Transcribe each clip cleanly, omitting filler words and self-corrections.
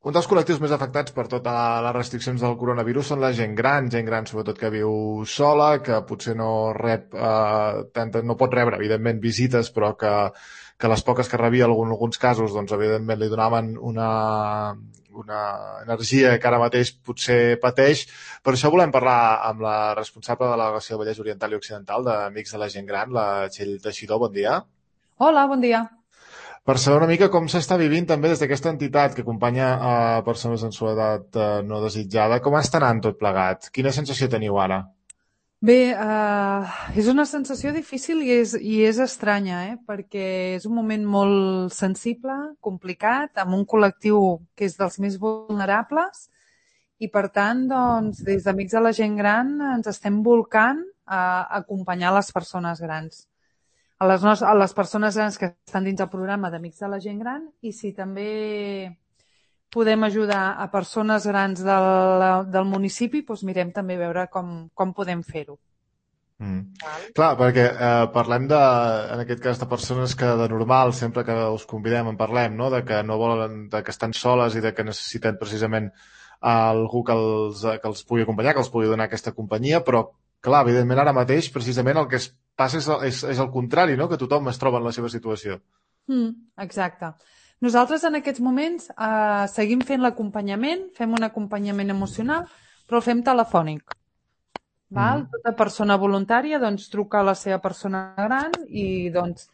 Un dels col·lectius més afectats per totes les restriccions del coronavirus són la gent gran sobretot que viu sola, que potser no rep, no pot rebre, evidentment, visites, però que les poques que rebia en alguns casos, doncs, evidentment, li donaven una energia que ara mateix potser pateix. Per això volem parlar amb la responsable de la delegació de Vallès Oriental i Occidental d'Amics de la Gent Gran, la Txell Teixidor. Bon dia. Hola, bon dia. Per saber una mica com s'està vivint també des d'aquesta entitat que acompanya a persones en soledat no desitjada, com està anant tot plegat? Quina sensació teniu ara? Bé, és una sensació difícil i és estranya, perquè és un moment molt sensible, complicat, amb un col·lectiu que és dels més vulnerables i, per tant, doncs, des d'Amics de la Gent Gran ens estem volcant a acompanyar les persones grans. A les persones grans que estan dins el programa d'Amics de la Gent Gran i si també podem ajudar a persones grans del municipi, doncs mirem també veure com podem fer-ho. Mm. Val? Clar, perquè parlem en aquest cas de persones que de normal, sempre que us convidem en parlem, no? De que no volen, de que estan soles i de que necessiten precisament algú que els pugui acompanyar, que els pugui donar aquesta companyia, però clar, evidentment ara mateix precisament el que es passa és el contrari, no? Que tothom es troba en la seva situació. Exacte. Nosaltres en aquests moments seguim fent l'acompanyament, fem un acompanyament emocional, però el fem telefònic. Val? Mm. Tota persona voluntària doncs, truca a la seva persona gran i doncs,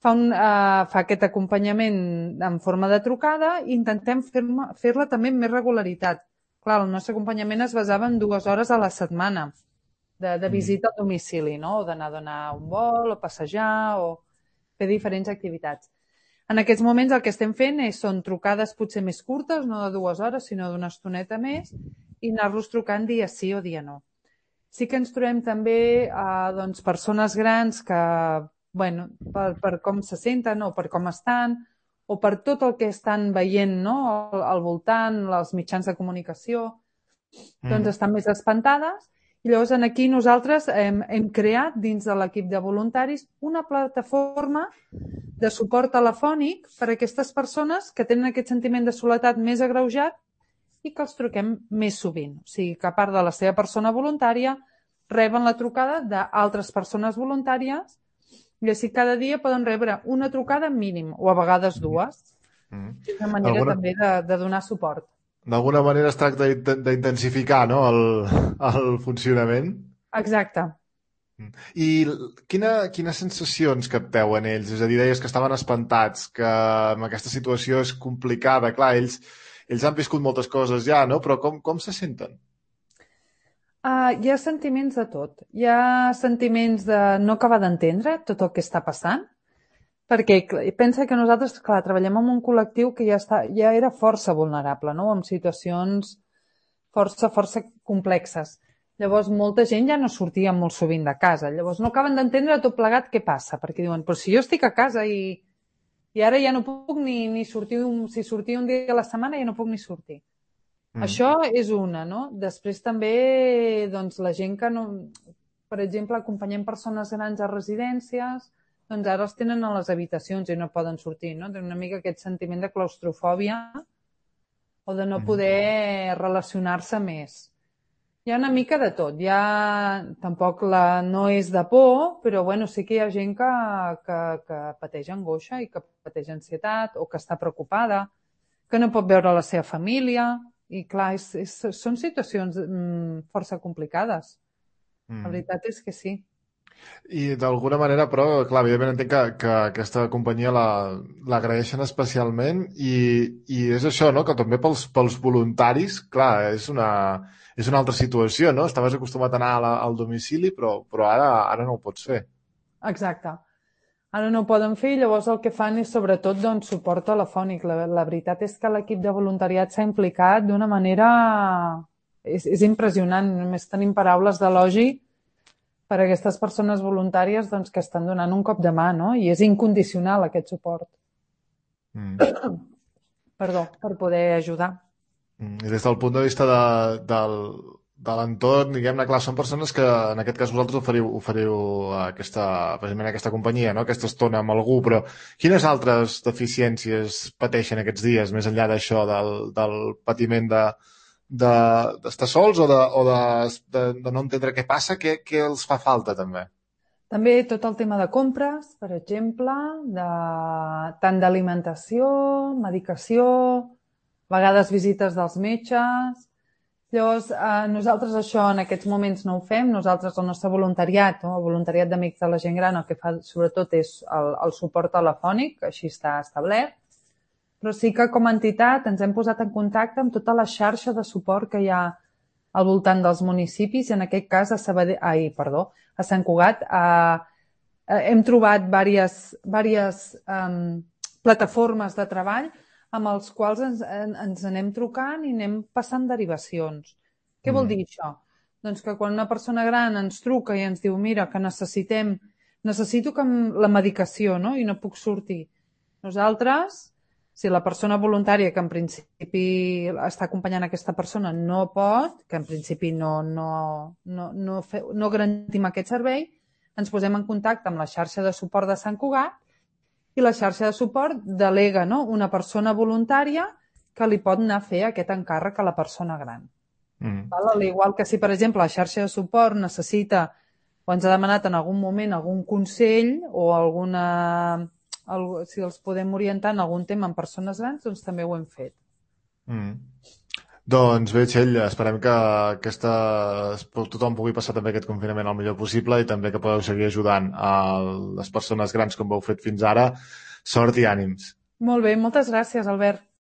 fa aquest acompanyament en forma de trucada i intentem fer-la també amb més regularitat. Clar, el nostre acompanyament es basava en 2 hores a la setmana de Mm. visita al domicili, no? O d'anar a donar un vol, o passejar, o fer diferents activitats. En aquests moments el que estem fent són trucades potser més curtes, no de 2 hores, sinó d'una estoneta més, i anar-los trucant dia sí o dia no. Sí que ens trobem també doncs, persones grans que, bueno, per com se senten o per com estan, o per tot el que estan veient, no? Al voltant, els mitjans de comunicació, doncs Mm. estan més espantades. I llavors aquí nosaltres hem creat dins de l'equip de voluntaris una plataforma de suport telefònic per a aquestes persones que tenen aquest sentiment de soledat més agreujat i que els truquem més sovint. O sigui, que a part de la seva persona voluntària, reben la trucada d'altres persones voluntàries i així cada dia poden rebre una trucada mínim, o a vegades dues. Mm. És una manera D'alguna també de donar suport. d'alguna manera es tracta d'intensificar, no? El funcionament. Exacte. Mm. I quines sensacions capteu en ells? És a dir, deies que estaven espantats, que amb aquesta situació és complicada. Clar, ells han viscut moltes coses ja, no? Però com se senten? Hi ha sentiments de tot. Hi ha sentiments de no acabar d'entendre tot el que està passant, perquè pensa que nosaltres, clar, treballem amb un col·lectiu que ja era força vulnerable, no? En situacions força complexes. Llavors, molta gent ja no sortia molt sovint de casa. Llavors, no acaben d'entendre tot plegat què passa, perquè diuen, però si jo estic a casa i ara ja no puc ni sortir, si sortia un dia a la setmana ja no puc ni sortir. Mm. Això és una, no? Després també, doncs, la gent que no... Per exemple, acompanyem persones grans a residències, doncs ara els tenen a les habitacions i no poden sortir, no? Tenen una mica aquest sentiment de claustrofòbia o de no Mm. poder relacionar-se més. Hi ha una mica de tot. Tampoc no és de por, però bueno, sí que hi ha gent que pateix angoixa i que pateix ansietat o que està preocupada, que no pot veure la seva família. I clar, són situacions força complicades. La Mm. veritat és que sí. I d'alguna manera, però, clar, evidentment entenc que aquesta companyia l'agraeixen especialment i és això, no?, que també pels voluntaris, clar, és una altra situació, no? Estaves acostumat a anar al domicili, però ara no ho pots fer. Exacte. Ara no ho poden fer i llavors el que fan és sobretot doncs, suport telefònic. La veritat és que l'equip de voluntariat s'ha implicat d'una manera... És impressionant, només tenim paraules d'elogi per a aquestes persones voluntàries doncs, que estan donant un cop de mà, no? I és incondicional aquest suport. Mm. Perdó, per poder ajudar. I des del punt de vista l'entorn, diguem-ne, clar, són persones que en aquest cas vosaltres oferiu precisament aquesta companyia, no? Aquesta estona amb algú, però quines altres deficiències pateixen aquests dies, més enllà d'això, del patiment d'estar sols de no entendre què passa, què els fa falta també? També tot el tema de compres, per exemple, tant d'alimentació, medicació, a vegades visites dels metges. Llavors, nosaltres això en aquests moments no ho fem. Nosaltres, el nostre voluntariat, no? El voluntariat d'Amics de la Gent Gran, el que fa sobretot és el suport telefònic, així està establert. Però sí que com a entitat ens hem posat en contacte amb tota la xarxa de suport que hi ha al voltant dels municipis, i en aquest cas a Sant Cugat hem trobat diverses plataformes de treball amb els quals ens anem trucant i anem passant derivacions. Què vol dir això? Doncs que quan una persona gran ens truca i ens diu mira, que necessito la medicació, no? I no puc sortir. Nosaltres, si la persona voluntària que en principi està acompanyant aquesta persona no pot, que en principi no garantim aquest servei, ens posem en contacte amb la xarxa de suport de Sant Cugat i la xarxa de suport delega, no? Una persona voluntària que li pot anar a fer aquest encàrrec a la persona gran. Al igual que si, per exemple, la xarxa de suport necessita o ens ha demanat en algun moment algun consell o si els podem orientar en algun tema en persones grans, doncs també ho hem fet. Doncs bé, Txell, esperem que tothom pugui passar també aquest confinament el millor possible i també que podeu seguir ajudant a les persones grans com ho heu fet fins ara. Sort i ànims. Molt bé, moltes gràcies, Albert.